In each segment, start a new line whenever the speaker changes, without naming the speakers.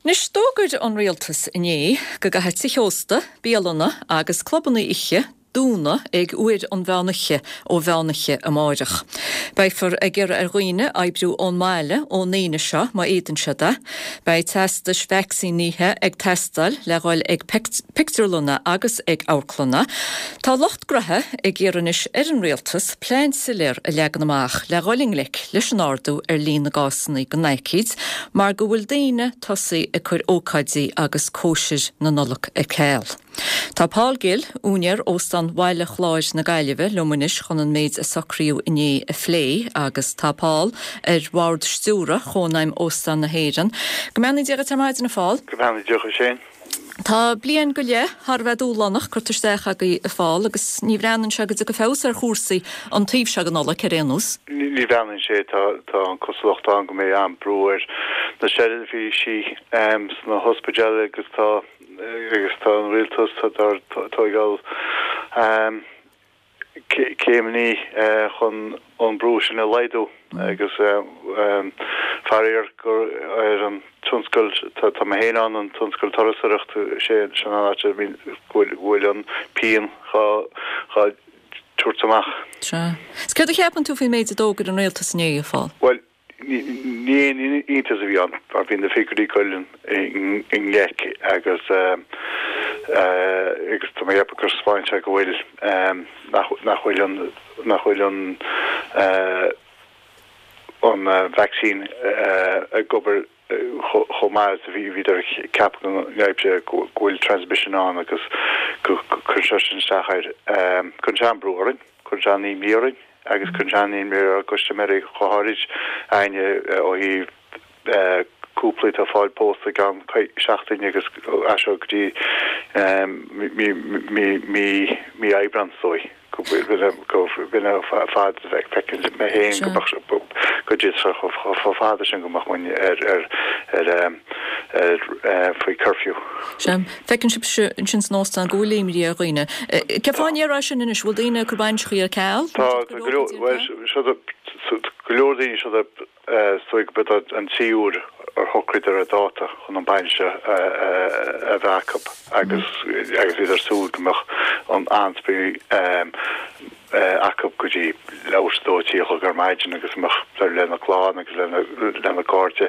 Anois, d'fhógair an Rialtas inné go gcaithfidh tithe ósta, bialanna agus clubanna oíche dúnadh ag uair an mheán oíche ó mheán oíche amáireach. Beifear ag iarraidh ar dhaoine oibriú ón mbaile ón Aoine seo má fhéadann siad é. Beidh teastais vacsaínithe ag teastáil le dhul ag pictiúrlanna agus ag amharclanna. Tá lucht graithe ag iarraidh anois ar an Rialtas plean soiléir a leagan amach le dhul i ngleic leis an ardú ar líon na gcásanna den aicíd mar go bhfuil daoine tosaithe ag cur ócáidí agus cóisir na Nollag ar ceal. Tá Paul Gill, úinéir Óstán Bhaile Chláir na Gaillimhe, liom anois chun an méid a socraíodh inné a phlé agus tá Paul ar bhord stiúrtha Chónaidhm Óstán na hÉireann. Go mbeannaí Dia dhuit ar maidin, a Phóil.
Go mbeannaí Dia dhuit féin.
Tá bliain go leith thar a bheith dúshlánach curtha isteach agaibh, a Phóil, agus ní bhreathnaíonn sé go dtiocfaidh feabhas ar chúrsaí an taobh seo den Nollaig ar aon nós.
Ní bhreathnaíonn sé. Tá an cosúlacht ann go mbeidh an-brú ar na seirbhísí sna hospidéil agus tá agus tá an rialtas ag tóigeáil céimeanna chun an brú sin a laghdú agus faraor gur ar an tionscal, tá mé féin ann, an tionscal turasóireachta, sin an áit a bhfuil an pian dhá tabhairt amach.
Sea. Is céard a cheapann tú faoin méid a d'fhógair an rialtas inné, a Phóil?
Bhuel, Ní aon iontas a bhí ann mar bhí na figiúirí ag dul i ngleic agus agus tá mé ag ceapadh gur spáin sé go bhfuil nach bhfuil an nach bhfuil an an vacsaín ag obair chomh maith is a bhí bhíodar ag ceapadh go mbeadh sé go bhfuil transmission ann agus go gcuireann sé sin isteach air. Cuireann sé an-brú orainn, cuireann sé an-imní orainn. agus cuireann sé an-imní ar ár gcustaiméirí go háirid éinne ó thaobh cúplaí atá ag fáil pósta i gceann seachtaine agus as seo go dtí mí Aibreán is dóigh go b'in an fad a fheiceann mé féin go mbeadh go dtí chomh fada sin go mbeadh muinn ar ar faoi curfew.
Sea. Feiceann sibhse ansin san óstán go bhfuil imní ar dhaoine. Cén fáth a ndéarfá sin anois? Bhfuil daoine ag cur bainiseachaí ar ceal?
Tá, tá go leor, bhuel, seo go leor daoine seo is dóigh go b'é an tríú huair ar shocraíodar ar dáta chun an bainis a bheith acu agus agus iad ar súil go mbeadh an an-spraoi acu go dtí leathuair tar éis a dó, 3 a chlog ar maidin agus mbeadh lena gclann agus lena gcairde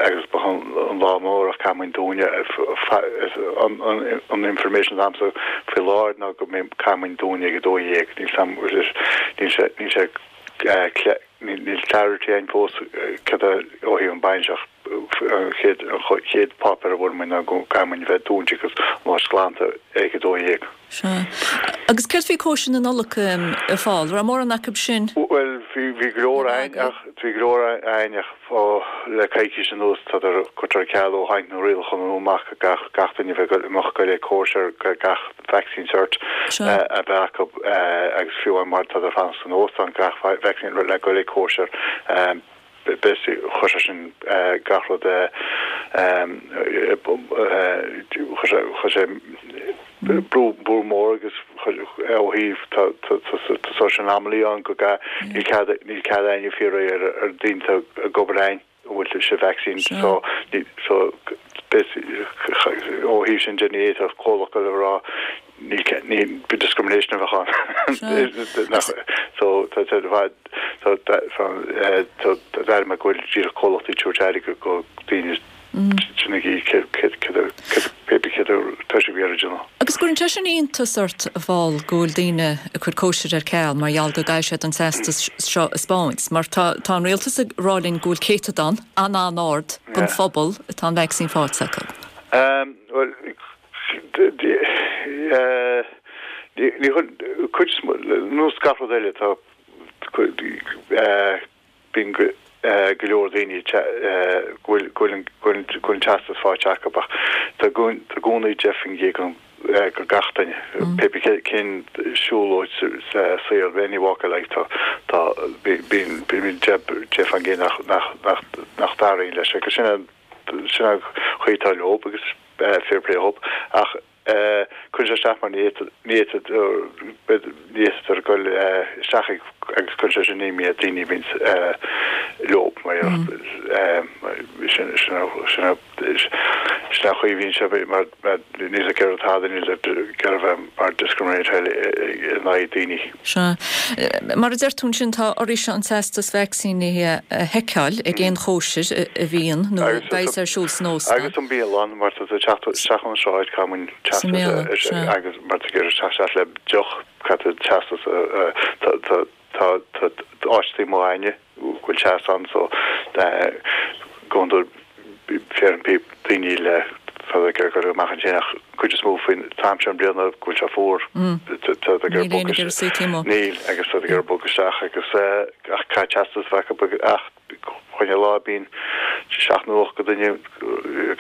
agus ba an lá mór ach caithfidh muid dúnadh an information atá agamsa faoi láthair ná go mbeidh caithfidh muid dúnadh ag 12 níl sé níl sé níl clarity againn fós cad é ó thaobh an bainis ach an chéad an chéad páipéar a bhfuair muid ná go gcaithfidh muid bheith dúnta agus an áit glanta ag 12.
Sea. Agus céard faoi cóisir na Nollag, a Phóil? Raibh mórán acu sin?
Bhuel, bhí, bhí go leor a'inn ach, bhí go leor a'inn ach ó, le coicís anuas tádar curtha ar ceal ó tháinig na rialacha nua amach gach, gach duine a bheith ag dul, ag dul ag cóisir gach vaccine cert a bheith acu agus fiú amháin má tádar fanacht san óstán gach vaccine le dul ag cóisir. Chuir sé sin gach rud chuir sé brú brú mór agus ó thaobh tá social anomaly ann go níl cead níl cead éinne fiafraí ar ar daoine atá ag obair a'inn an bhfuil sibh vaccine so so ó thaobh sin de ní fhéadfadh comhlacht a rá Ní discrimination a bheadh ann. So tá sé tá d'aire go bhfuil díreach comhlachtaí ag tabhairt aire go daoine sin ag céad céad céad céad tá sibh ag iarraidh déanamh.
Agus cuireann sé sin iontas ort a Phóil go bhfuil daoine ag cur cóisir ar ceal mar gheall go gcaithfidh siad an teastas seo a 'speáint mar tá tá an rialtas ag rá linn go bhfuil céatadán an-an-ard den phobal atá an vacsaín faighte acu.
Bhuel Ní cuid nós gach rud eile tá bíonn go leor daoine go bhfuil an teastas faighte acu ach tá i gcónaí 10% go gach duine pé cén siúlóid sa saol any walk of life tá tá bíonn 10% nach nach dtarraingíonn leis agus sin an sin an chaoi atá leo agus fair play dhób ach cuireann sé isteach mar ní fhéadfadh ní fhéadfadh dul isteach ag agus cuireann sé sin imní ar daoine a bhíonn. leo mar sin sin sin Sin an chaoi a bhíonn sé mar níl ag iarraidh tada, níl ag iarraidh bheith mar discriminate in aghaidh daoine.
Sea. Mar a deir tú ansin, tá oraibhse an teastas vacsaínithe a sheiceáil ag aon chóisir a bhíonn nó a bheas ar siúl san óstán.
Agus an bialann, mar tá tú ag teacht isteach ón sráid, caithfidh muid teastas a, agus mar tá tú ag iarraidh teacht isteach le deoch, caithfidh tú teastas a, tá, Tá áit taobh amuigh againne go bhfuil teas ann so go hiondúil féachann daoine le tá ag iarraidh dul amach ansin ach cuid is mó faoin t-am seo den bliana go bhfuil sé fuar tá ag iarraidh bogadh níl agus tá ag iarraidh bogadh isteach agus ach caithfidh teastas a bheith acu ach Chuile lá bíonn seacht nó 8 de dhuine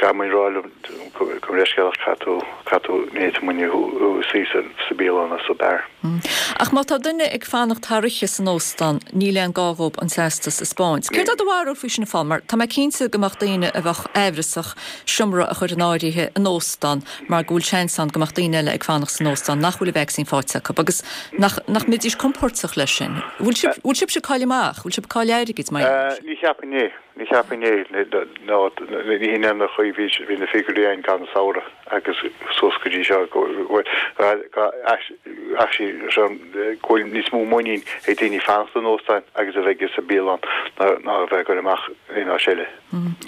caithfidh muid rá leo gabh mo leithscéal ach caithfidh tú, caithfidh tú, ní fhéadfaidh muid thú a suí sa, sa bialann nó sa beár.
Ach má tá duine ag fanacht thar oíche san óstán, níl aon gá dhóibh an teastas a 'speáint. Céard é do bharúil faoi sin a Phóil? Mar tá mé cinnte go mbeadh daoine a bheadh aimhreasach seomra a chur in áirithe in óstán mar go bhfuil seans ann go mbeadh daoine eile ag fanacht san óstán nach bhfuil an vacsaín faighte acu agus nach nach mbeidís compóirteach leis sin. Bhfuil sibh bhfuil sibhse ag cailleadh amach? Bhfuil sibh ag cailleadh airgid mar gheall air sin?
Ní cheapfainn é. Ní cheapfainn é. Nó ní hin an chaoi a bhí bhí na figiúirí againn i gcaitheamh an samhradh agus suas go dtí seo go bhfuil actually go bhfuil níos mó muinín ag daoine fanacht in óstáin agus a bheith sa bialann ná a bheith ag dul amach in áit eile.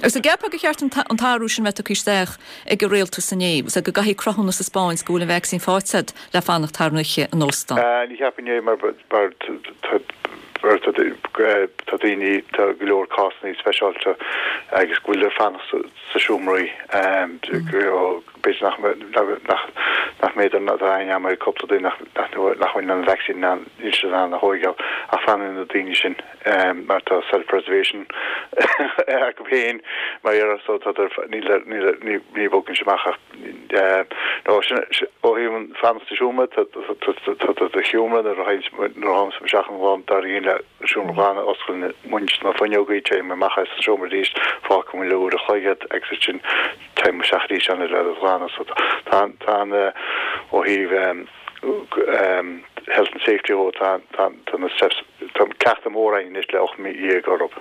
Agus an gceapfá gur cheart an t-athrú sin a bheith tugtha isteach ag an rialtas inné, go gcaithfí cruthúnas a 'speáint go bhfuil an vacsaín faighte agat le fanacht thar an oíche in óstán?
Ní cheapfainn é mar tá daoine, tá go leor cásanna speisialta agus go bhfuil ag fanacht sa seomraí, b'fhéidir nach nach mb'fhéidir tá aithne agam ar cúpla duine nach bhfuil an vacsaín in ann, níl siad in ann a thóigeáil ach fanann na daoine sin. mar tá self preservation acu féin mar dhea so tá níl níl ní ní bhogann sé amach ach nó sin ó thaobh an fanacht sa seomra tá tá do sheomra nuair a théann nuair a tháim isteach an lá dár gcionn le seomra glan osclaíonn muid na fuinneogaí téim amach as an seomra arís fágfaidh muid le uair a chloig iad agus ansin téim isteach arís ann le glanadh so tá tá an ó thaobh health and safety dhó tá tá na steps tá cleachtadh mór againn anois le 18 mí orthu.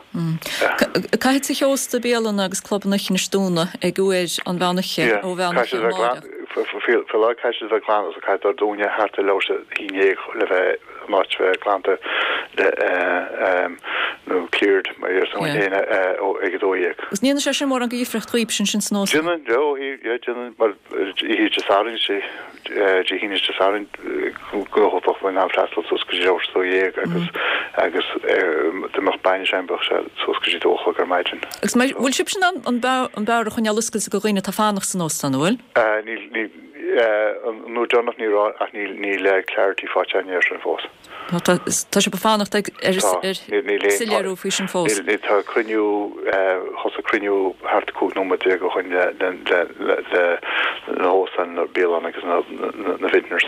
Caithfidh tithe ósta, bialanna agus clubanna oíche anois dúnadh ag uair an mheán oíche ó mheán oíche amárach.
Faoi láthair caithfidh siad a bheith glan so caithfidh dúnadh thart ar leathuair tar éis a 11 le bheith an áit a bheith glanta le nó cleared mar a déarfá féin ag 12.
Agus ní dhéanann sé sin mórán de dhifríocht dhaoibhse ansin san
óstán? Déanann, yeah, déanann mar oíche Dé Sathairn sé Dé hAoine is Dé Sathairn go bheadh muid in ann freastal suas go dtí leathuair tar éis a 12 agus agus dá mbeadh bainis ann bheadh sé suas go dtí 2 a chlog ar maidin.
Agus bhfuil sibhse in ann an beár a choinneáil oscailte do dhaoine atá ag fanacht san óstán, an bhfuil?
Níl, níl, an uair deireanach ní raibh ach níl, níl clarity faighte againn air sin fós.
Tá, tá sibh ag fanacht ag, ar, ar soiléiriú faoi sin fós.
Níl, tá cruinniú, thosaigh cruinniú thart 15 nóiméad ó shin le, le, le, le na hóstáin, na bialanna agus na, na vintners.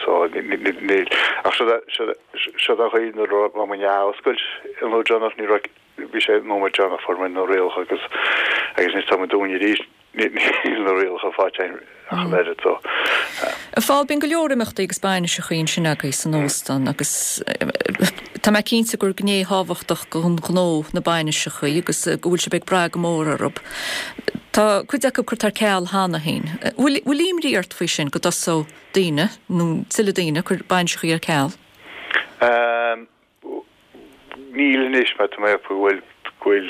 So, níl, ach seo, seo, seo an chaoi nuair a raibh muid ag oscailt an uair deireanach, ní raibh, bhí sé nóiméad deireanach fuair muid na rialacha agus, agus anois tá muid dúnta arís. Níl na rialacha faighte againn ach an oiread so.
A Phóil, bíonn go leor imeachtaí agus bainiseachaí ansin agaibh san óstán agus tá mé cinnte gur gné thábhachtach den ghnó na bainiseachaí agus go bhfuil sibh ag brath go mór orthu. Tá cuid acu curtha ar ceal cheana féin. Bhfuil bhfuil imní ort faoi sin go dtosódh daoine nó tuilleadh daoine ag cur bainiseachaí ar ceal?
Níl anois mar tá mé ag ceapadh go bhfuil go bhfuil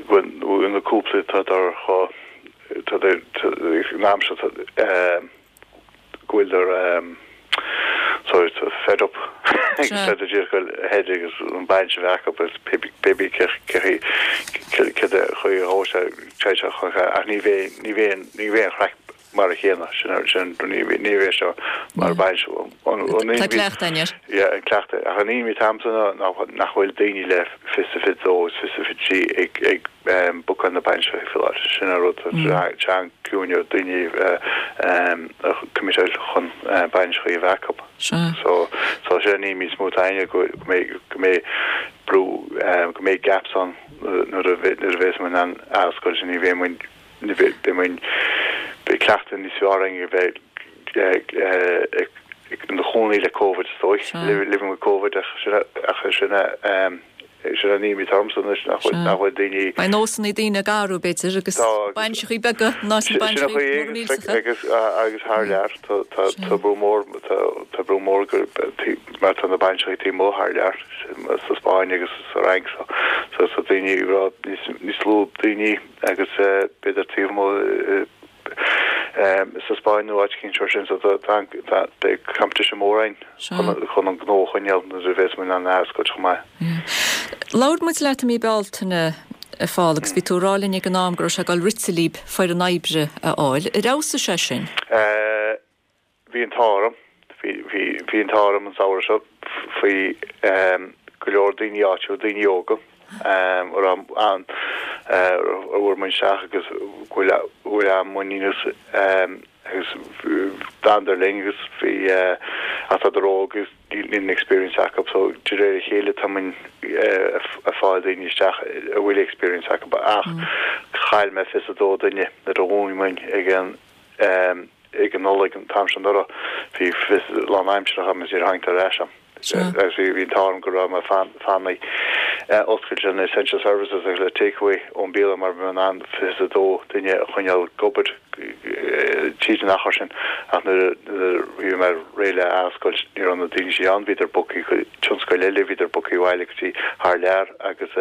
go bhfuil na cúpla atá dar tá in am seo go bhfuil dar sorry tá fed up agus tá díreach go ahead agus an bainis a bheith acu agus pé bí cé cé cé chaoi a ghabh sé sé ach ní bheidh ní bheidh ní bheidh an chraic mar a chéanna, sin, sin, ní, ní bheidh seo mar bainis.
Tá cleachtadh air.
Yeah, an cleachtadh. Ach an imní atá a'msa ná, ná nach bhfuil daoine le fiche is 22 is 23 ag, ag bookáil na bainise faoi láthair. Sin an rud, tá sé an-ciúin ar daoine a committeáil chun bainiseachaí a bheith acu. So, so sin an imní is mó atá a'inne go mbeidh, go mbeidh brú, go mbeidh gaps ann nuair a nuair a bheas muid in ann athoscailt, ní bheidh muid Beidh muid, beidh cleachtadh níos fearr againn a bheith ina chónaí le Covid is dóigh, living with Covid ach sin ach sin. Sin an imní atá ormsa anois, nach bhfuil, nach bhfuil daoine.
Beidh nósanna daoine ag athrú, b'fhéidir, agus bainiseachaí beaga, ná sin bainiseachaí móra
millteacha. Agus, agus thar lear, tá, tá, tá brú mór, tá, tá brú mór go, mar tá na bainiseachaí taobh amuigh thar lear, sa Spáinn agus sa Fhrainc, so, so, so daoine ag rá níos, níos lú daoine agus b'fhéidir taobh amuigh sa Spáinn nó áit eicínt mar sin so tá beidh competition mór ann chun an gnó a choinneáil nuair a bheas muid in ann athoscailt chomh maith.
Labhair muid leat i mí Bealtaine a Phóil agus bhí tú ag rá linn ag an am go raibh sé ag dul rite libh foireann oibre a fháil. Ar fheabhsaigh sé sin?
Bhí an t-ádh orm, bhí, bhí, bhí an t-ádh orm an samhradh seo faoi go leor daoine áitiúil, daoine óga, a raibh an, a bhfuair muid isteach agus go bhfuil, go bhfuil an-mhuinín as agus d'fhanadar linn agus bhí, ach tádar óg agus níl an experience acu so de réir a chéile tá muid ag fáil daoine isteach a bhfuil experience acu ach chaill mé 22 duine nuair a dhún muid ag an ag an Nollaig an t-am seo anuraidh, bhí 20 lánaimseartha agam agus níor tháinig ar ais agam. Agus bhí an t-ádh orm go raibh mé fanacht oscailte le essential services agus le takeaway ón bialann mar bhí mé in ann 22 duine a choinneáil ag obair tríd an achar sin ach nuair a bhí mé réidh le athoscailt ní raibh na daoine sin ann, bhíodar bogtha go tionscail eile, bhíodar bogtha abhaile go dtí thar lear agus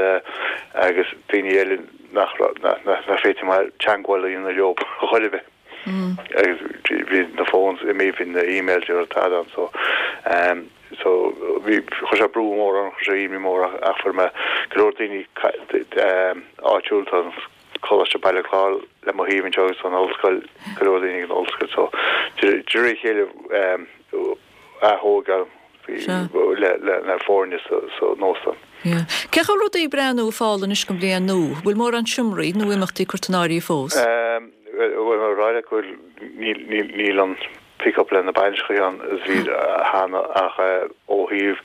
agus daoine eile nach raibh, nach féidir mé teagmháil a dhéanamh leo chor ar bith. Agus bhí na phones imithe, bhí na emails, ní raibh tada ann so so bhí, chuir sé brú mór orm, chuir sé imní mór ach fuair mé go leor daoine áitiúil, tá an Coláiste Baile Chláir le mo thaobh anseo agus an ollscoil, go leor daoine ag an ollscoil so de réir a chéile athógáil le foirne san óstán.
Cén chaoi a bhfuil rudaí ag breathnú a Phóil anois don bhliain nua? Bhfuil mórán seomraí nó imeachtaí curtha in áirithe fós?
Bhuel, mar a rá leat go bhfuil, níl an pick up le na bainiseachaí ann is bhí cheana ach ó thaobh is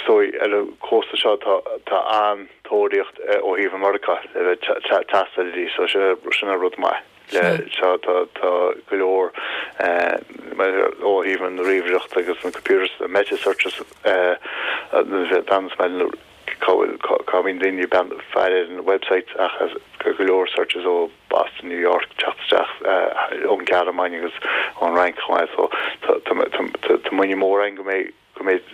dóigh ar an cósta seo tá an-tóraíocht ó thaobh Meiriceá le bheith taisteal arís so sin an rud maith. le seo tá go leor ó thaobh an ríomhaireacht agus na computers, na meta searches bhean cá bhfuil cá mbíonn daoine ag faire ar an website ach go leor searches ó Boston, New York teacht isteach ón Ghearmáin agus ón Fhrainc chomh maith so tá muinín mór againn go mbeidh go mbeidh,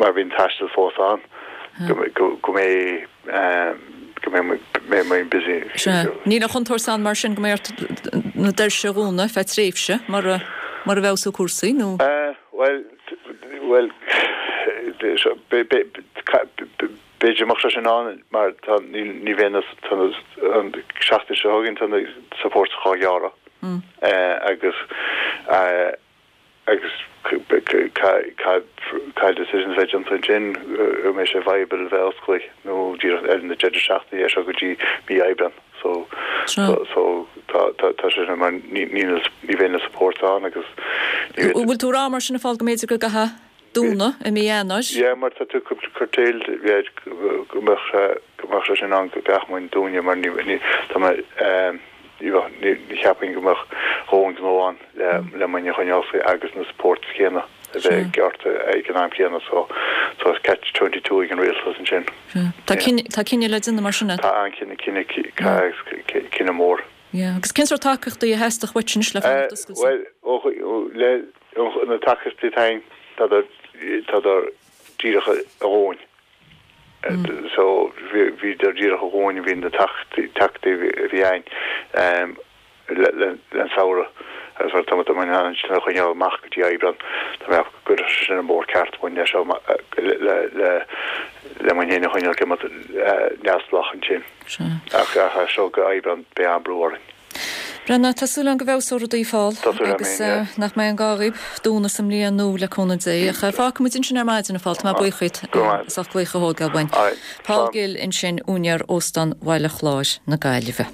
mar bhí an taisteal fós ann, go mbeidh, go mbeidh muid busy.
Sea. Níl an chontúirt ann mar sin go mbeidh ort na doirse a dhúnadh ar feadh tréimhse mura, mura bhfeabhsóidh cúrsaí, nó?
Bhuel, bhuel, b'fhéidir go mbeadh sé sin ann mar tá, ní, ní bheidh na, tá na, an seachtain seo chugainn tá na supports dhá ghearradh agus, Agus cad decisions a bheidh déanta ansin, an mbeidh sé viable a bheith oscailte nó díreach ar na deireadh seachtaine é seo go dtí mí Aibreán. So so tá tá sé sin mar ní ní ní bheidh na supports ann agus
ní bheidh. Bhfuil tú ag rá mar sin a Phóil go mb'fhéidir go gcaithfeá dúnadh i mí Eanáir?
Yeah mar tá tú curtailed go mbeadh sé go mbeadh sé sin ann go gcaithfeadh muid dúnadh mar ní ní tá mé ní bheadh ní cheapfainn go mbeadh dhóthain gnó ann le le muidne a choinneáil oscailte agus na supports céanna a bheith gearrtha ag an am céanna so so it's catch 22 ag an rialtas ansin.
Tá cinneadh tá cinneadh le déanamh mar sin.
Tá an-chinneadh cinneadh cinneadh mór.
Yeah agus cén sórt tacaíochtaí a theastódh uait anois le fanacht
oscailte? Bhuel ó le na tacaíochtaí atá ann tá tádar díreach a dhóthain. So bhíodar díreach a dhóthain bhí na tacaíochtaí a bhí ann le an samhradh agus mar tá muid in ann sin a choinneáil amach go dtí Aibreán tá mé ag ceapadh go gcuirfeadh sé sin an bóthar ceart muid leis seo le le le muid féin a choinneáil go neamhspleách ansin. Ach as seo go Aibreán beidh an-brú orainn.
Brendan, tá súil agam go bhfeabhsóidh rudaí a Phóil agus nach mbeidh an gá dhaoibh dúnadh sa mbliain nua le cúnamh Dé. Ach fágfaidh muid ansin ar maidin a Phóil, tá mé buíoch díot as ucht glaoch a thógáil uainn. Paul Gill ansin, úinéir Óstán Bhaile Chláir na Gaillimhe.